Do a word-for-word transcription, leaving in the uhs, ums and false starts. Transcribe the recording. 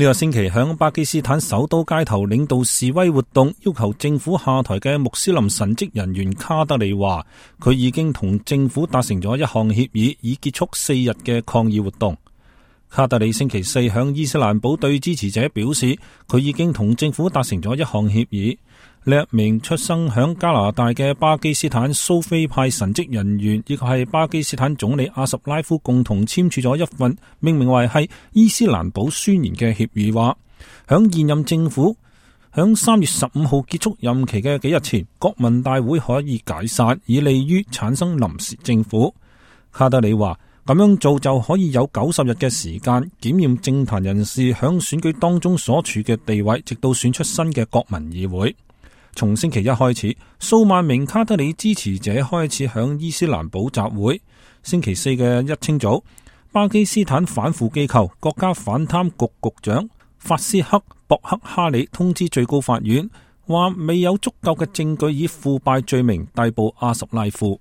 呢個星期響巴基斯坦首都街頭領導示威活動，要求政府下台嘅穆斯林神職人員卡德里話，佢已經同政府達成咗一項協議，以結束四日嘅抗議活動。卡德里星期四向伊斯蘭堡對支持者表示，佢已經同政府達成咗一項協議。呢一名出生響加拿大嘅巴基斯坦蘇菲派神職人員，亦係巴基斯坦總理阿什拉夫共同簽署咗一份命名為係伊斯蘭堡宣言嘅協議，話響現任政府響三月十五號結束任期嘅幾日前，國民大會可以解散，以利於產生臨時政府。卡德里話，咁樣做就可以有九十日嘅時間檢驗政壇人士響選舉當中所處嘅地位，直到選出新嘅國民議會。從星期一開始，數萬名卡德里支持者開始響伊斯蘭堡集會。星期四嘅一清早，巴基斯坦反腐機構國家反貪局局長法斯克博克哈里通知最高法院，話未有足夠嘅證據以腐敗罪名逮捕阿什拉夫。